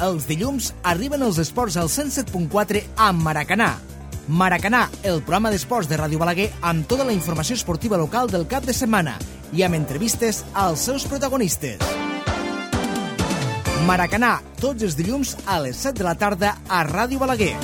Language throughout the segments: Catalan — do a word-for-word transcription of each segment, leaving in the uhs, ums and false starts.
Els dilluns arriben els esports al cent set punt quatre amb Maracanà. Maracanà, el programa d'esports de Ràdio Balaguer amb tota la informació esportiva local del cap de setmana i amb entrevistes als seus protagonistes. Maracanà, tots els dilluns a les set de la tarda a Ràdio Balaguer.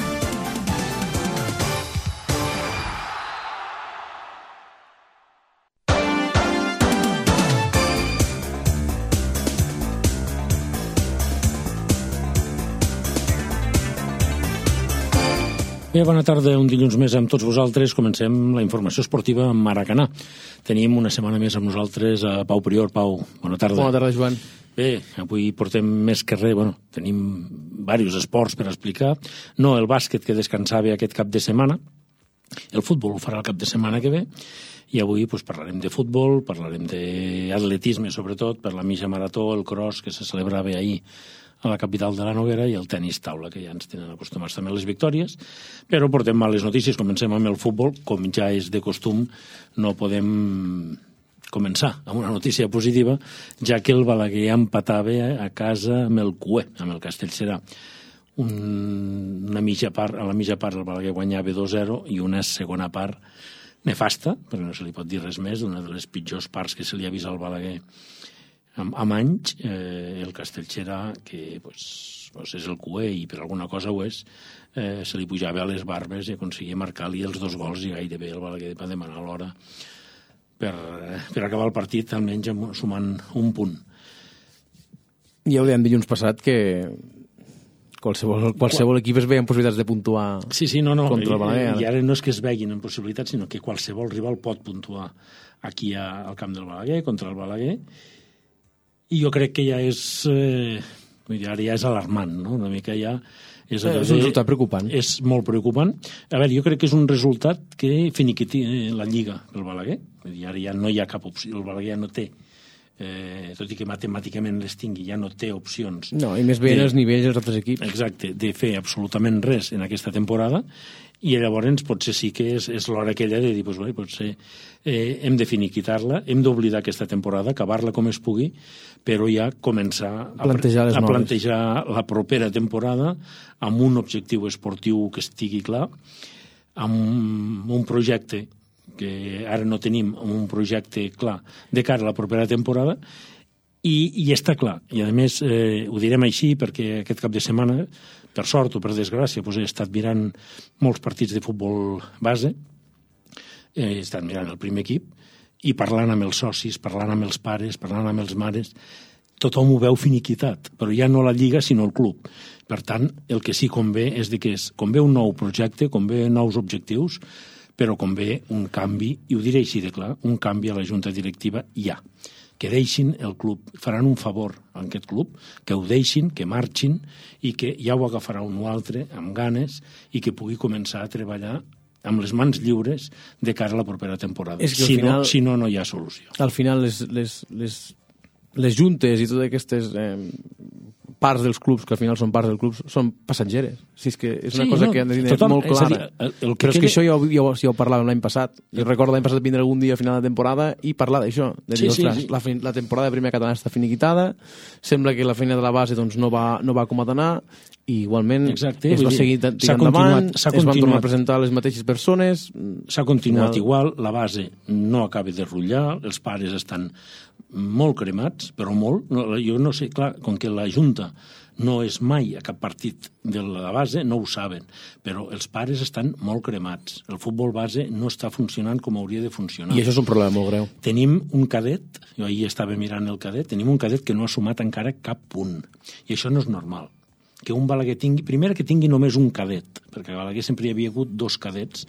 Bé, bona tarda, un dilluns més amb tots vosaltres. Comencem la informació esportiva amb Maracanà. Tenim una setmana més amb nosaltres a Pau Prior. Pau, bona tarda. Bona tarda, Joan. Bé, avui portem més que res, bueno, tenim diversos esports per explicar. No el bàsquet, que descansava aquest cap de setmana. El futbol ho farà el cap de setmana que ve. I avui pues, parlarem de futbol, parlarem d'atletisme, sobretot, per la mitja marató, el cross, que se celebrava ahir a la capital de la Noguera, i el tenis taula, que ja ens tenen acostumats també a les victòries. Però portem males notícies. Comencem amb el futbol. Com ja és de costum, no podem començar amb una notícia positiva, ja que el Balaguer empatava a casa amb el Cué, amb el Castellserà. Un, una mitja part, a la mitja part el Balaguer guanyava dos zero i una segona part nefasta, perquè no se li pot dir res més, una de les pitjors parts que se li ha vist al Balaguer amb, amb anys, eh, el Castellserà, que pues, pues és el Cué i per alguna cosa ho és, eh, se li pujava a les barbes i aconseguia marcar-li els dos gols i gairebé el Balaguer va demanar l'hora per, per acabar el partit, almenys sumant un punt. Ja ho dèiem dilluns passat que qualsevol, qualsevol equip es veia en possibilitats de puntuar sí, sí, no, no. contra el Balaguer. I ara no és que es veguin en possibilitats, sinó que qualsevol rival pot puntuar aquí a, al camp del Balaguer, contra el Balaguer. I jo crec que ja és, eh, ara ja és alarmant, no? Una mica ja és, eh, és un resultat preocupant. És molt preocupant. A veure, jo crec que és un resultat que finiquiti la Lliga del Balaguer. Ara ja no hi ha cap opció, el Balaguer ja no té, eh, tot i que matemàticament les tingui, ja no té opcions. No, i més bé en els nivells dels altres equips. Exacte, de fer absolutament res en aquesta temporada, i llavors potser sí que és, és l'hora aquella de dir, pues, bé, potser eh, hem de finiquitar-la, hem d'oblidar aquesta temporada, acabar-la com es pugui, però ja començar a plantejar, a plantejar la propera temporada amb un objectiu esportiu que estigui clar, amb un projecte que ara no tenim, un projecte clar de cara a la propera temporada, i, i està clar. I a més, eh, ho direm així perquè aquest cap de setmana, per sort o per desgràcia, doncs he estat mirant molts partits de futbol base, he estat mirant el primer equip, i parlant amb els socis, parlant amb els pares, parlant amb els mares, tothom ho veu finiquitat, però ja no la Lliga, sinó el club. Per tant, el que sí convé és de que és, convé un nou projecte, convé nous objectius, però convé un canvi, i ho diré així de clar, un canvi a la junta directiva ja. Que deixin el club, faran un favor a aquest club, que ho deixin, que marxin, i que ja ho agafarà un o altre amb ganes i que pugui començar a treballar amb les mans lliures de cara a la propera temporada. És que si, final, no, si no, no hi ha solució. Al final, les, les, les, les juntes i totes aquestes eh, parts dels clubs, que al final són parts dels clubs, són passatgeres. Si és que és una sí, cosa no, que han de tenir molt clara. Dir, el, el que Però és quede... que això ja ho, ja, ho, ja ho parlàvem l'any passat. Jo recordo l'any passat vindre algun dia a final de temporada i parlar d'això. De dir, sí, ostres, sí, sí. La, la temporada de primera catalana està finiquitada, sembla que la feina de la base doncs, no, va, no va com ha d'anar, i igualment Exacte, es va seguir tirant endavant, es van tornar a presentar les mateixes persones. S'ha continuat final... igual, la base no acaba de rutllar, els pares estan molt cremats, però molt. No, jo no sé, clar, com que la Junta no és mai a cap partit de la base, no ho saben, però els pares estan molt cremats. El futbol base no està funcionant com hauria de funcionar. I això és un problema molt greu. Tenim un cadet, jo ahir estava mirant el cadet, tenim un cadet que no ha sumat encara cap punt. I això no és normal. Que un Balaguer tingui, primer que tingui només un cadet, perquè a Balaguer sempre hi havia hagut dos cadets,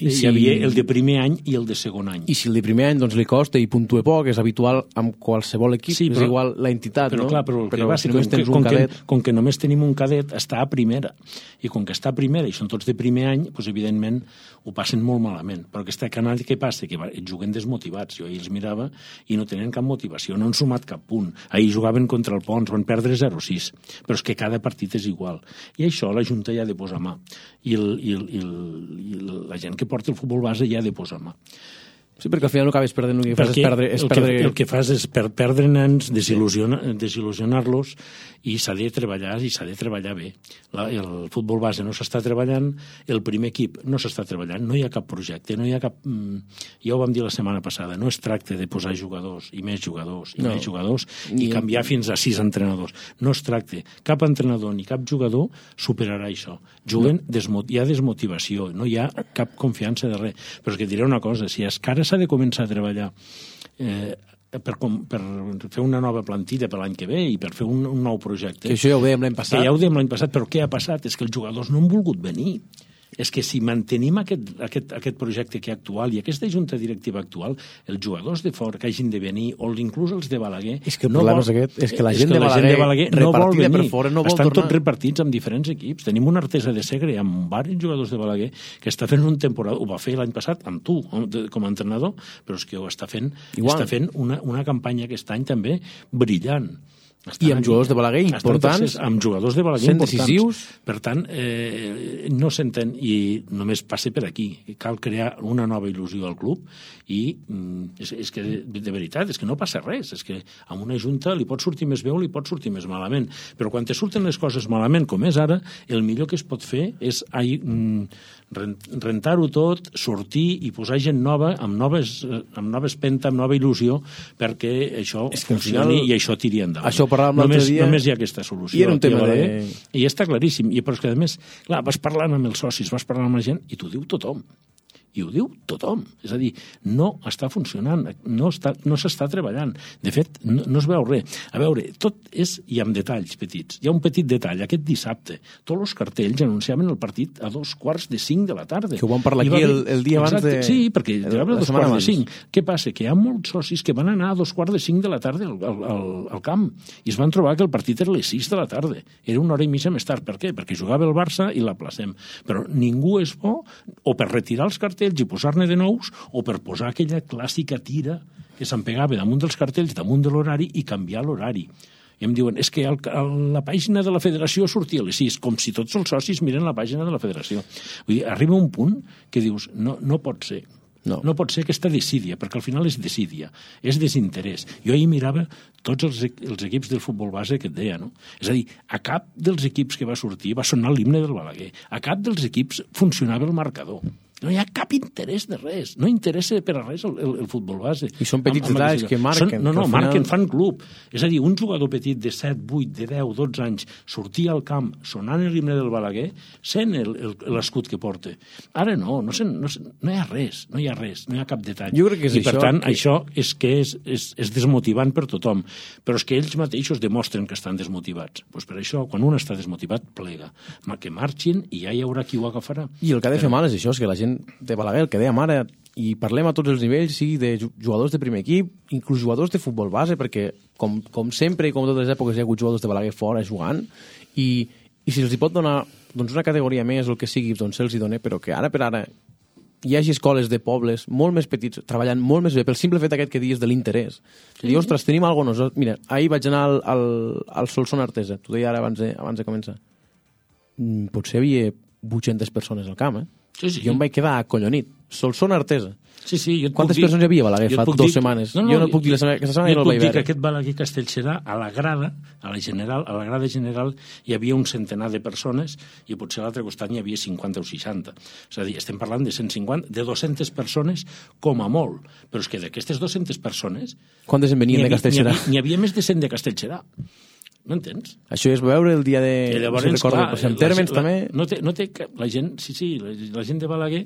i si... hi havia el de primer any i el de segon any. I si el de primer any doncs, li costa i puntue poc, és habitual amb qualsevol equip, sí, però, és igual la entitat, però, no? Clar, però el però que va, si com, només tens com, un cadet... Que, com que només tenim un cadet, està a primera, i com que està a primera i són tots de primer any, doncs, evidentment ho passen molt malament. Però aquesta canalla, què passa? Que juguen desmotivats. Jo ahir els mirava i no tenen cap motivació, no han sumat cap punt. Ahir jugaven contra el Pons, van perdre zero sis, però és que cada partit és igual. I això la Junta ja ha de posar mà. I, el, i, el, i, el, i la gent que porta el futbol base ja ha de posar mà. Sí, perquè al final no acabes perdent, el que fas és perdre... És el, perdre... que, el que fas és per, perdre nens, desil·lusionar, desil·lusionar-los, i s'ha de treballar, i s'ha de treballar bé. La, el futbol base no s'està treballant, el primer equip no s'està treballant, no hi ha cap projecte, no hi ha cap... Ja ho vam dir la setmana passada, no es tracta de posar jugadors, i més jugadors, i no. més jugadors, i canviar fins a sis entrenadors. No es tracta. Cap entrenador ni cap jugador superarà això. Juguen, no. desmot... hi ha desmotivació, no hi ha cap confiança de res. Però és que diré una cosa, si és que ara s'ha de començar a treballar eh, per, per fer una nova plantilla per l'any que ve i per fer un, un nou projecte. Que això ja ho dèiem l'any passat. Que ja ho dèiem l'any passat, però què ha passat? És que els jugadors no han volgut venir. És que si mantenim aquest, aquest, aquest projecte que actual i aquesta junta directiva actual, els jugadors de fora que hagin de venir, o inclús els de Balaguer... És que el no problema vol, és aquest, és que la gent, que de, Balaguer, gent de Balaguer no vol venir. Per fora, no vol Estan tornar. tots repartits amb diferents equips. Tenim una Artesa de Segre amb diversos jugadors de Balaguer que està fent un temporada, ho va fer l'any passat amb tu, com a entrenador, però és que ho està fent, està fent una, una campanya aquest any també brillant. Estan I amb aquí, jugadors de Balaguer importants, amb jugadors de Balaguer importants. Decisius. Per tant, eh, no s'entén, i només passa per aquí. Cal crear una nova il·lusió al club i mm, és, és que, de, de veritat, és que no passa res. És que amb una junta li pot sortir més bé o li pot sortir més malament. Però quan te surten les coses malament, com és ara, el millor que es pot fer és ai, mm, rentar-ho tot, sortir i posar gent nova, amb noves, amb noves penta, amb nova il·lusió, perquè això és que funcioni final, i això tiri endavant. Això només, dia, només hi ha aquesta solució. I era un tema de... I està claríssim. I, però és que, a més, clar, vas parlant amb els socis, vas parlant amb la gent, i t'ho diu tothom. I ho diu tothom. És a dir, no està funcionant, no està, no s'està treballant. De fet, no, no es veu res. A veure, tot és, i amb detalls petits. Hi ha un petit detall. Aquest dissabte, tots els cartells anunciaven el partit a dos quarts de cinc de la tarda. Que ho vam parlar aquí el, el dia Exacte, abans de... Sí, perquè el, a dos quarts de cinc. Què passa? Que hi ha molts socis que van anar a dos quarts de cinc de la tarda al, al, al, al camp i es van trobar que el partit era a les sis de la tarda. Era una hora i mitja més tard. Per què? Perquè jugava el Barça i l'aplacem. Però ningú és bo o per retirar els cartells i posar-ne de nous, o per posar aquella clàssica tira que s'empegava damunt dels cartells, damunt de l'horari, i canviar l'horari. I em diuen, és que el, el, la pàgina de la federació sortia a les sis, com si tots els socis miren la pàgina de la federació. Vull dir, arriba un punt que dius, no, no pot ser. No. no pot ser aquesta desídia, perquè al final és desídia, és desinterès. Jo ahir mirava tots els, els equips del futbol base que et deia, no? És a dir, a cap dels equips que va sortir va sonar l'himne del Balaguer, a cap dels equips funcionava el marcador. No hi ha cap interès de res, no interessa per a res el, el, el futbol base. I són petits detalls que marquen. Són, no, no, final... marquen, fan club. És a dir, un jugador petit de set, vuit, de deu, dotze anys sortia al camp sonant l'himne del Balaguer, sent l'escut que porta. Ara no, no, sent, no, no hi ha res, no hi ha res, no hi ha cap detall. Jo crec que és I per això tant, que... això és que és, és, és desmotivant per tothom. Però és que ells mateixos demostren que estan desmotivats. Pues per això, quan un està desmotivat, plega. Que marxin i ja hi haurà qui ho agafarà. I el que ha de fer mal és això, és que la gent de Balaguer, el que dèiem ara, i parlem a tots els nivells, sí, de jugadors de primer equip, inclús jugadors de futbol base, perquè com, com sempre i com totes les èpoques hi ha hagut jugadors de Balaguer fora jugant, i, i si els hi pot donar doncs, una categoria més o el que sigui, doncs se'ls hi dona, però que ara per ara hi hagi escoles de pobles molt més petits, treballant molt més bé, pel simple fet aquest que dius de l'interès. Sí. I, ostres, tenim alguna cosa... Mira, ahir vaig anar al, al, al Solsona Artesa, t'ho deia ara abans de, abans de començar. Mm, potser hi havia vuit-centes persones al camp, eh? Sí, sí. Jo em vaig quedar acollonit. Solsona Artesa. Sí, sí, jo et Quantes puc persones hi havia a Balaguer fa dues dir... setmanes? No, no, jo no puc dir la setmana, aquesta setmana jo no el vaig veure. Jo et puc dir veure. que aquest Balaguer Castellserà, a la grada, a la general, a la grada general, hi havia un centenar de persones i potser a l'altre costat n'hi havia cinquanta o seixanta. És a dir, estem parlant de cent cinquanta, de dues-centes persones com a molt. Però és que d'aquestes dues-centes persones... Quantes en venien de Castellserà? N'hi havia, havia més de cent de Castellserà. No entens? Això és veure el dia de... I llavors, si recordo, clar, en tèrmens la, també... No té, no té, la gent, sí, sí, la, la gent de Balaguer,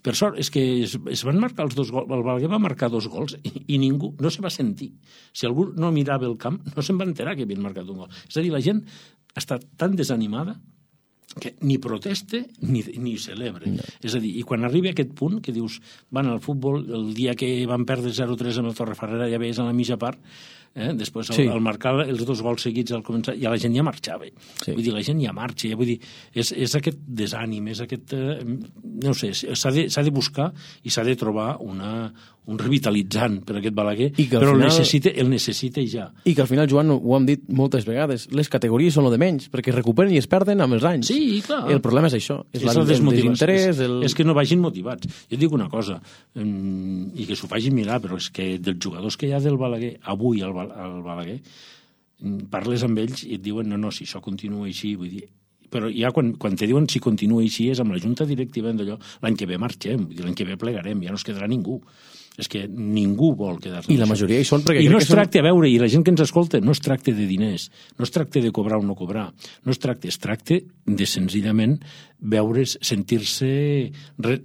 per sort, és que es, es van marcar els dos gols, el Balaguer va marcar dos gols i, i ningú, no se va sentir. Si algú no mirava el camp, no se'n va enterar que havien marcat un gol. És a dir, la gent està tan desanimada que ni proteste ni, ni celebra. No. És a dir, i quan arriba a aquest punt que dius, van al futbol, el dia que van perdre zero tres amb el Torrefarrera, ja veies a la mitja part, Eh? Després, al, sí. al marcar els dos gols seguits al començar, ja la gent ja marxava. Sí. Vull dir, la gent ja marxa. Ja, vull dir, és, és aquest desànim, és aquest... Eh, no sé, s'ha de, s'ha de buscar i s'ha de trobar una, un revitalitzant per aquest Balaguer, però final, el, necessita, el necessita ja. I que al final, Joan, ho hem dit moltes vegades, les categories són el de menys, perquè es recuperen i es perden amb els anys. Sí, clar. El problema és això. És, és el, el desinterès. El... És que no vagin motivats. Jo dic una cosa, i que s'ho facin mirar, però és que dels jugadors que hi ha del Balaguer, avui al, al Balaguer, parles amb ells i et diuen no, no, si això continua així, vull dir, però ja quan, quan te diuen si continua així és amb la junta directiva d'allò, l'any que ve marxem, l'any que ve plegarem, ja no es quedarà ningú. És que ningú vol quedar-se. I la majoria hi són perquè... I no es tracta, a veure, i la gent que ens escolta, no es tracta de diners, no es tracta de cobrar o no cobrar, no es tracta, es tracta de senzillament veure's, sentir-se re,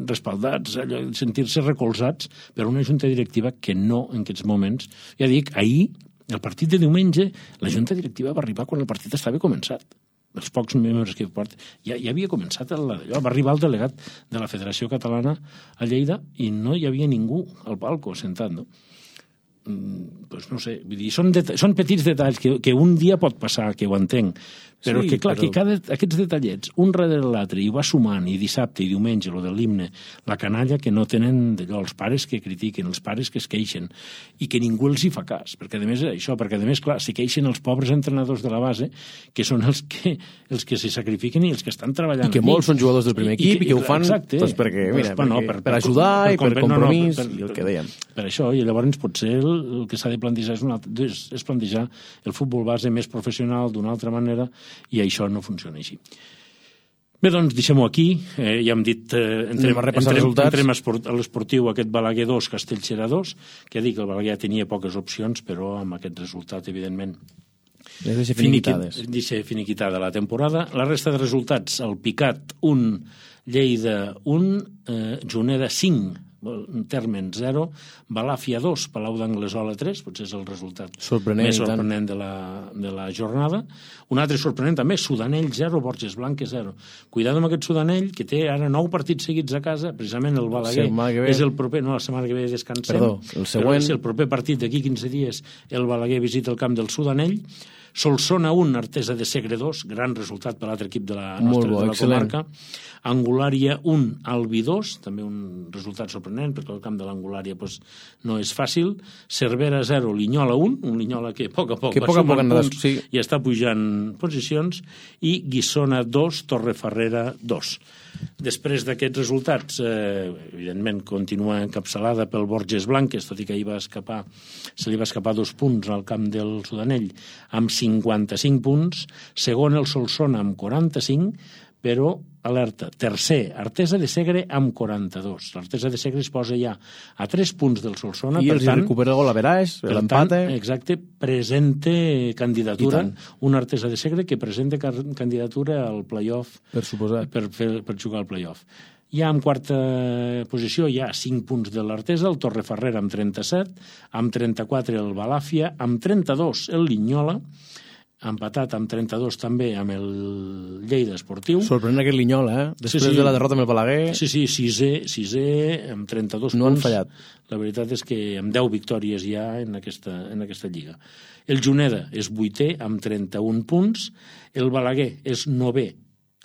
respaldats, sentir-se recolzats per una junta directiva que no, en aquests moments... Ja dic, ahir, el partit de diumenge, la junta directiva va arribar quan el partit estava començat. Els pocs membres que porten, ja, ja havia començat allò, va arribar el delegat de la Federació Catalana a Lleida i no hi havia ningú al palco sentat, no? Mm, doncs no sé, vull dir, són, són petits detalls que, que un dia pot passar, que ho entenc, però sí, que clar, però... que cada, aquests detallets, un darrere l'altre, i va sumant, i dissabte i diumenge, lo de l'himne, la canalla que no tenen d'allò, els pares que critiquen, els pares que es queixen, i que ningú els hi fa cas, perquè a més això, perquè a més, clar, s'hi queixen els pobres entrenadors de la base, que són els que, els que se sacrifiquen i els que estan treballant. I que molts són jugadors del primer equip i, i, que, i que ho fan exacte, doncs perquè, mira, perquè, no, per, per, per ajudar per, per, i per compromís, no, no, per, i el que dèiem. Per, per això, i llavors potser el, el que s'ha de plantejar és, una, és, és plantejar el futbol base més professional d'una altra manera, i això no funciona així. Bé, doncs, deixem-ho aquí. Eh, ja hem dit... Eh, entrem, entrem, entrem a l'esportiu aquest Balaguer dos, Castellserà dos, que dic que el Balaguer tenia poques opcions, però amb aquest resultat, evidentment, les deixa finiquitades. Deixa finiquitada la temporada. La resta de resultats, el Picat un, Lleida un, eh, Juneda cinc, Térmens zero, Balàfia dos, Palau d'Anglesola tres, potser és el resultat sorprenent, més sorprenent de la, de la jornada. Un altre sorprenent també, Sudanell zero, Borges Blanques zero. Cuidado amb aquest Sudanell, que té ara nou partits seguits a casa, precisament el Balaguer és el proper, no, la setmana que ve descansem. Perdó, el següent... és el proper partit d'aquí quinze dies, el Balaguer visita el camp del Sudanell. Solsona un, Artesa de Segre dos, gran resultat per l'altre equip de la nostra bo, de la comarca. Angulària un, Albi dos, també un resultat sorprenent, perquè el camp de l'Angulària pues, no és fàcil. Cervera zero, Linyola un, un Linyola que a poc a poc que va poc sumant poc punts sí. i està pujant posicions, i Guissona dos, Torrefarrera dos. Després d'aquests resultats, eh, evidentment, continua encapçalada pel Borges Blanques, tot i que ahir va escapar, se li va escapar dos punts al camp del Sudanell, amb cinquanta-cinc punts, segon el Solsona amb quaranta-cinc, però, alerta, tercer, Artesa de Segre amb quaranta-dos. L'Artesa de Segre es posa ja a tres punts del Solsona. I els recupera el gol a Veraix, l'empate. Exacte, presenta candidatura, un Artesa de Segre que presenta candidatura al play-off. Per suposat. Per, per, per jugar al play-off. Ja en quarta posició hi ha cinc punts de l'Artesa, el Torrefarrera amb trenta-set, amb trenta-quatre el Balàfia, amb trenta-dos el Linyola, empatat amb trenta-dos també amb el Lleida Esportiu. Sorprenent aquest Linyola, eh? Després sí, sí. de la derrota amb el Balaguer. Sí, sí, sisè, sisè amb trenta-dos no punts. No han fallat. La veritat és que amb deu victòries ja en aquesta, en aquesta lliga. El Juneda és vuitè amb trenta-un punts. El Balaguer és novè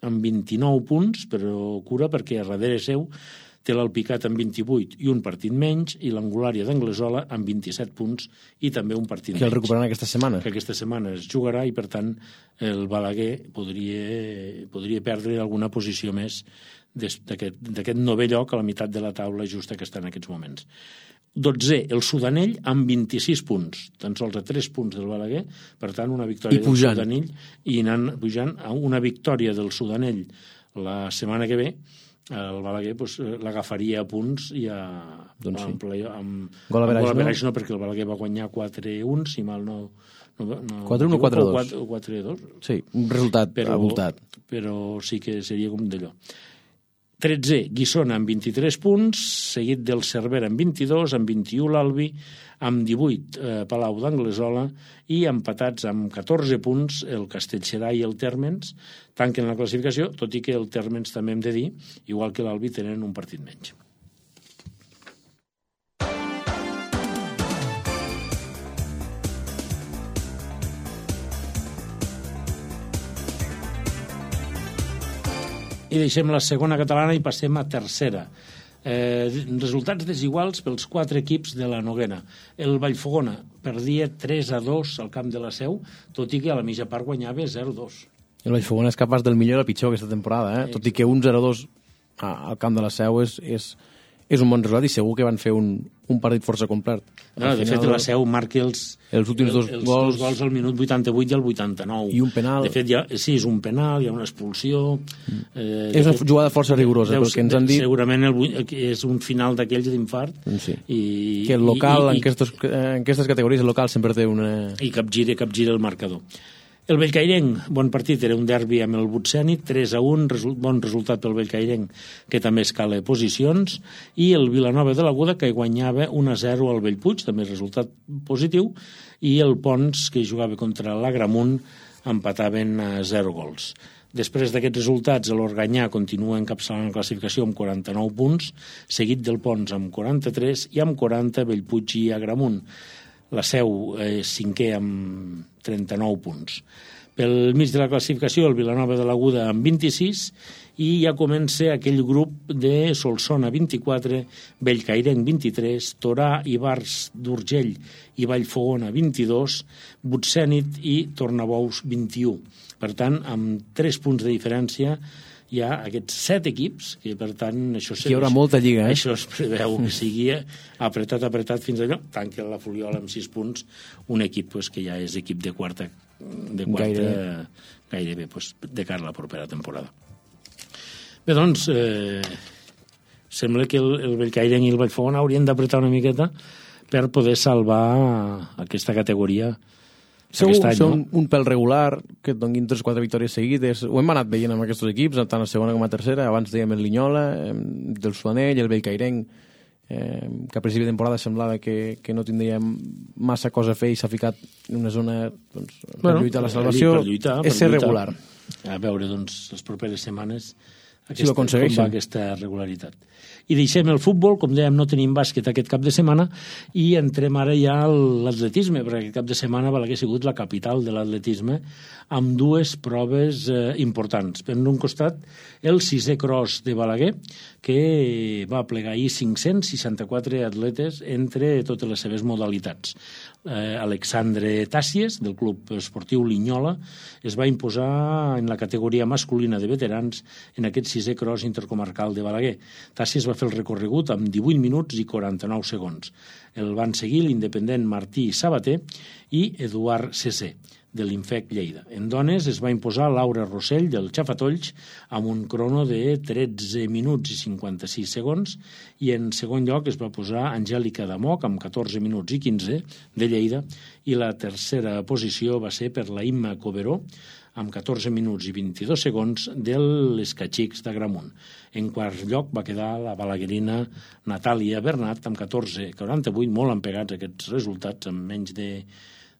amb vint-i-nou punts, però cura perquè a darrere seu té l'Alpicat amb vint-i-vuit i un partit menys, i l'Angulària d'Anglesola amb vint-i-set punts i també un partit menys. Que el recuperaran aquesta setmana. Que aquesta setmana es jugarà i, per tant, el Balaguer podria, podria perdre alguna posició més d'aquest novè lloc a la meitat de la taula justa que està en aquests moments. dotzè, el Sudanell amb vint-i-sis punts, tan sols a tres punts del Balaguer, per tant, una victòria del Sudanell, i anant pujant a una victòria del Sudanell la setmana que ve, el Balaguer pues, l'agafaria a punts i a... Doncs sí. Amb, amb, gol a Veraix no, perquè el Balaguer va guanyar quatre a un, si mal no... no, no quatre a un o quatre a dos? quatre a dos. Sí, un resultat però, abultat. Però sí que seria com d'allò. tretzè, Guissona amb vint-i-tres punts, seguit del Cervera amb vint-i-dos, amb vint-i-u l'Albi, amb divuit eh, Palau d'Anglesola, i empatats amb catorze punts el Castellserà i el Térmens, tanquen la classificació, tot i que el Térmens també hem de dir, igual que l'Albi, tenen un partit menys. I deixem la segona catalana i passem a tercera. Eh, resultats desiguals pels quatre equips de la Noguera. El Vallfogona perdia tres a dos al camp de la Seu, tot i que a la mitja part guanyava zero a dos. El Vallfogona és capaç del millor i el pitjor aquesta temporada, eh? Tot i que un zero a dos al camp de la Seu és, és, és un bon resultat i segur que van fer un, un partit força complet. No, de fet, la Seu marca els, els últims dos els, gols, els gols al minut vuitanta-vuit i al vuitanta-nou. I un penal. De fet, ja, sí, és un penal, hi ha una expulsió. Mm. Eh, és una fet, jugada força rigorosa, deu, perquè ens han dit... Segurament el, és un final d'aquells d'infart. Sí. I, que el local, i, i, en, aquestes, en aquestes categoris, el local sempre té una... I capgira, capgira el marcador. El Bellcairenc, bon partit, era un derbi amb el Butsènit, tres a un, result, bon resultat pel Bellcairenc, que també escala posicions, i el Vilanova de l'Aguda, que guanyava un a zero al Bellpuig, també resultat positiu, i el Pons, que jugava contra l'Agramunt, empataven a zero gols. Després d'aquests resultats, l'Organyà continua encapçalant la classificació amb quaranta-nou punts, seguit del Pons amb quaranta-tres i amb quaranta Bellpuig i Agramunt. La Seu és eh, cinquè amb trenta-nou punts. Pel mig de la classificació, el Vilanova de l'Aguda amb vint-i-sis, i ja comença aquell grup de Solsona vint-i-quatre, Bellcairenc vint-i-tres, Torà, Ibars d'Urgell i Vallfogona vint-i-dos, Butsènit i Tornabous vint-i-u. Per tant, amb tres punts de diferència hi ha aquests set equips, que per tant això hi haurà molta lliga, eh? Això es preveu que sigui apretat, apretat fins allò, tanca la Fuliola amb sis punts, un equip pues, que ja és equip de quarta, de quarta gairebé, gairebé pues, de cara a la propera temporada. Bé, doncs, eh, sembla que el, el Bellcairenc i el Vallfogona haurien d'apretar una miqueta per poder salvar aquesta categoria. Segur, any, són no? un pèl regular, que et donin tres o quatre victòries seguides. Ho hem anat veient amb aquests equips, tant a segona com a tercera. Abans dèiem el Linyola, del Suanell, el Bellcairenc, eh, que a principi de temporada semblava que, que no tindria massa cosa a fer i s'ha ficat en una zona doncs, per bueno, lluitar la salvació. Per lluitar, per és ser lluitar. regular. A veure, doncs, les properes setmanes aquesta, si ho aconsegueixen. Com va aquesta regularitat. I deixem el futbol, com dèiem, no tenim bàsquet aquest cap de setmana, i entrem ara ja a l'atletisme, perquè aquest cap de setmana Balaguer ha sigut la capital de l'atletisme, amb dues proves eh, importants. Per un costat, el sisè cross de Balaguer, que va plegar ahir cinc-cents seixanta-quatre atletes entre totes les seves modalitats. Eh, Alexandre Tàcies, del Club Esportiu Linyola, es va imposar en la categoria masculina de veterans en aquest sisè cross intercomarcal de Balaguer. Tàcies va fer el recorregut amb divuit minuts i quaranta-nou segons. El van seguir l'independent Martí Sabater i Eduard Cesser, de l'Infec Lleida. En dones es va imposar Laura Rossell, del Xafatolls, amb un crono de tretze minuts i cinquanta-sis segons, i en segon lloc es va posar Angèlica Damoc, amb catorze minuts i quinze, de Lleida, i la tercera posició va ser per la Imma Coberó, amb catorze minuts i vint-i-dos segons, de l'Escachics d'Agramunt. En quart lloc va quedar la balaguerina Natàlia Bernat, amb catorze quaranta-vuit, molt empegats aquests resultats, amb menys de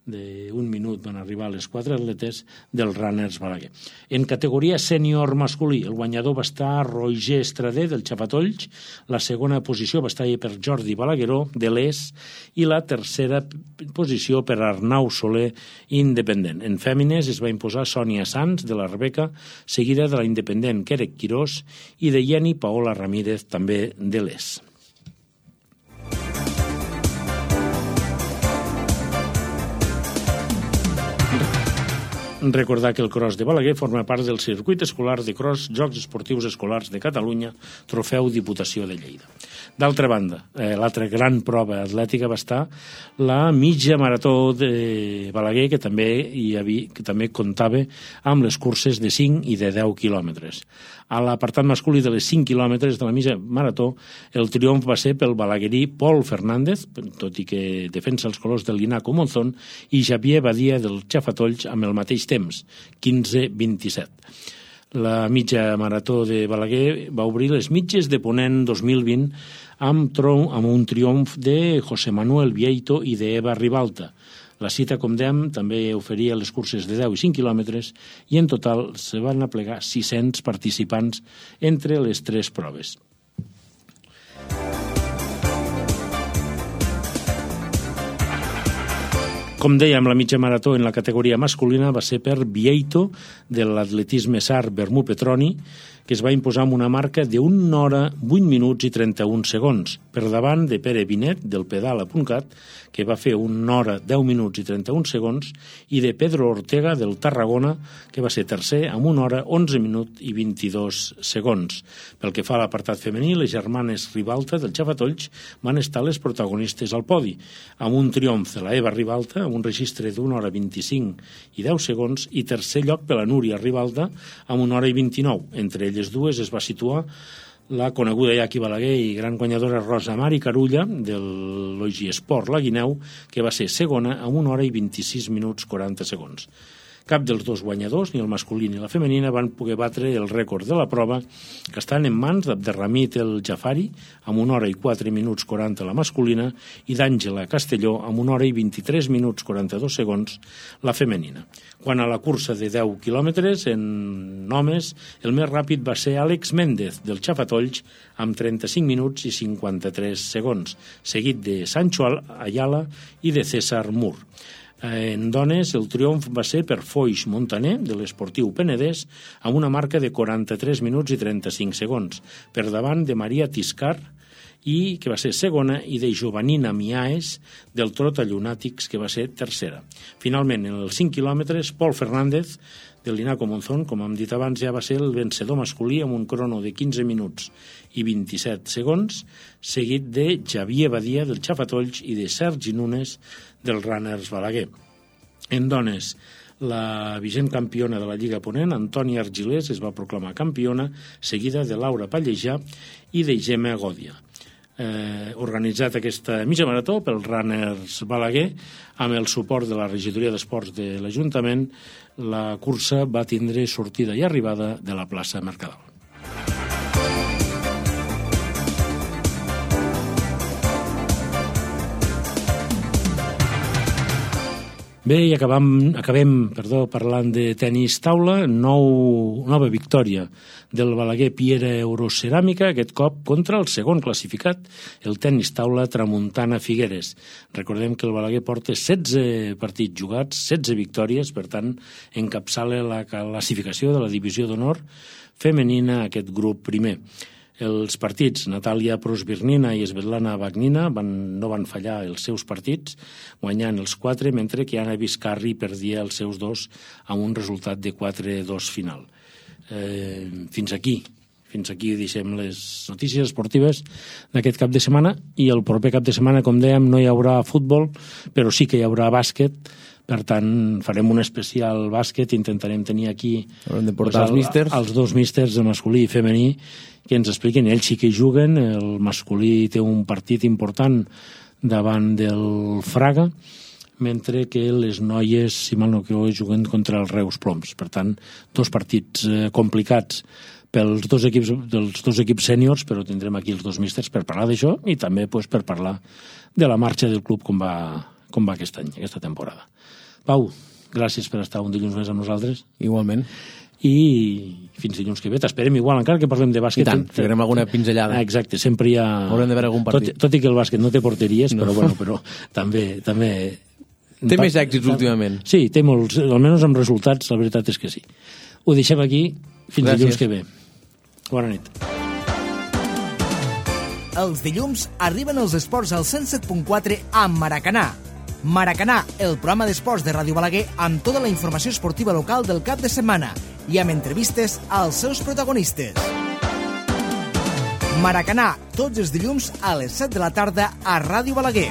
d'un minut van arribar les quatre atletes del Runners Balaguer. En categoria sènior masculí, el guanyador va estar Roger Estrader, del Xafatolls, la segona posició va estar per Jordi Balagueró, de l'Es, i la tercera posició per Arnau Soler, independent. En fèmines es va imposar Sònia Sanz, de la Rebeca, seguida de la independent Querec Quirós i de Jenny Paola Ramírez, també de l'Es. Recordar que el cross de Balaguer forma part del circuit escolar de cross Jocs Esportius Escolars de Catalunya, trofeu Diputació de Lleida. D'altra banda, eh, l'altra gran prova atlètica va estar la mitja marató de Balaguer, que també, hi havia, que també comptava amb les curses de cinc i de deu quilòmetres. A l'apartat masculí de les cinc quilòmetres de la mitja marató, el triomf va ser pel balaguerí Pol Fernández, tot i que defensa els colors del Linaco Monzón, i Xavier Badia del Xafatolls amb el mateix temps, quinze vint-i-set. La mitja marató de Balaguer va obrir les mitges de Ponent dos mil vint amb, tron, amb un triomf de José Manuel Vieito i d'Eva Ribalta. La cita, com dèiem, també oferia les curses de deu i cinc quilòmetres i en total se van aplegar sis-cents participants entre les tres proves. Com dèiem, la mitja marató en la categoria masculina va ser per Vieito, de l'atletisme Sar Bermú Petroni, que es va imposar amb una marca d'una hora, vuit minuts i trenta-un segons, per davant de Pere Vinet, del pedala.cat, que va fer una hora, deu minuts i trenta-un segons, i de Pedro Ortega, del Tarragona, que va ser tercer, amb una hora, onze minuts i vint-i-dos segons. Pel que fa a l'apartat femení, les germanes Ribalta, del Xafatolls, van estar les protagonistes al podi, amb un triomf de la Eva Ribalta, amb un registre d'una hora vint-i-cinc i deu segons, i tercer lloc per la Núria Ribalta, amb una hora i vint-i-nou. Entre elles dues es va situar la coneguda ja aquí Balaguer i gran guanyadora Rosa Mari Carulla, del Logi Esport La Guineu, que va ser segona amb una hora i vint-i-sis minuts quaranta segons. Cap dels dos guanyadors, ni el masculí ni la femenina, van poder batre el rècord de la prova, que estan en mans d'Abderramit El Jafari, amb una hora i quatre minuts quaranta la masculina, i d'Àngela Castelló, amb una hora i vint-i-tres minuts quaranta-dos segons la femenina. Quant a la cursa de deu quilòmetres, en homes, el més ràpid va ser Àlex Méndez, del Xafatolls, amb trenta-cinc minuts i cinquanta-tres segons, seguit de Sancho Ayala i de César Mur. En dones, el triomf va ser per Foix Montaner, de l'Esportiu Penedès, amb una marca de quaranta-tres minuts i trenta-cinc segons, per davant de Maria Tiscar, i que va ser segona, i de Jovanina Miaes, del Trota Llunàtics, que va ser tercera. Finalment, en els cinc quilòmetres, Pol Fernández, del Linaco Monzón, com hem dit abans, ja va ser el vencedor masculí amb un crono de quinze minuts i vint-i-set segons, seguit de Xavier Badia, del Xafatolls, i de Sergi Nunes, del Runners Balaguer. En dones, la vigent campiona de la Lliga Ponent, Antònia Argilés, es va proclamar campiona, seguida de Laura Pallejà i de Gemma Gòdia. Eh, organitzat aquesta mitja marató pel Runners Balaguer, amb el suport de la regidoria d'esports de l'Ajuntament, la cursa va tindre sortida i arribada de la plaça Mercadal. Bé, i acabam, acabem perdó, parlant de tenis taula, nou, nova victòria del Balaguer Piera Euroceràmica, aquest cop contra el segon classificat, el tenis taula Tramuntana Figueres. Recordem que el Balaguer porta setze partits jugats, setze victòries, per tant, encapçala la classificació de la divisió d'honor femenina, aquest grup primer. Els partits, Natàlia Prosvirnina i Svetlana Bagnina van, no van fallar els seus partits, guanyant els quatre, mentre que Anna Vizcarri perdia els seus dos amb un resultat de quatre a dos final. Eh, fins aquí, fins aquí deixem les notícies esportives d'aquest cap de setmana, i el proper cap de setmana, com dèiem, no hi haurà futbol, però sí que hi haurà bàsquet. Per tant, farem un especial bàsquet, intentarem tenir aquí de portar els místers. els dos místers, el masculí i femení, que ens expliquen. Ells sí que juguen, el masculí té un partit important davant del Fraga, mentre que les noies, si mal no creu, juguen contra els Reus Ploms. Per tant, dos partits eh, complicats pels dos equips, dels dos equips sèniors, però tindrem aquí els dos místers per parlar d'això i també pues, per parlar de la marxa del club com va, com va aquest any, aquesta temporada. Pau, gràcies per estar un dilluns més amb nosaltres. Igualment. I fins dilluns que ve. T'esperem igual, encara que parlem de bàsquet. I tant, farem alguna pinzellada. Ah, exacte, sempre hi ha... Haurem de veure algun partit. Tot, tot i que el bàsquet no té porteries, no. però, bueno, però també... també... Té més èxits últimament. Sí, té molts, almenys amb resultats, la veritat és que sí. Ho deixem aquí, fins gràcies. Dilluns que ve. Bona nit. Els dilluns arriben els esports al cent set punt quatre amb Maracanà. Maracanà, el programa d'esports de Ràdio Balaguer amb tota la informació esportiva local del cap de setmana i amb entrevistes als seus protagonistes. Maracanà, tots els dilluns a les set de la tarda a Ràdio Balaguer.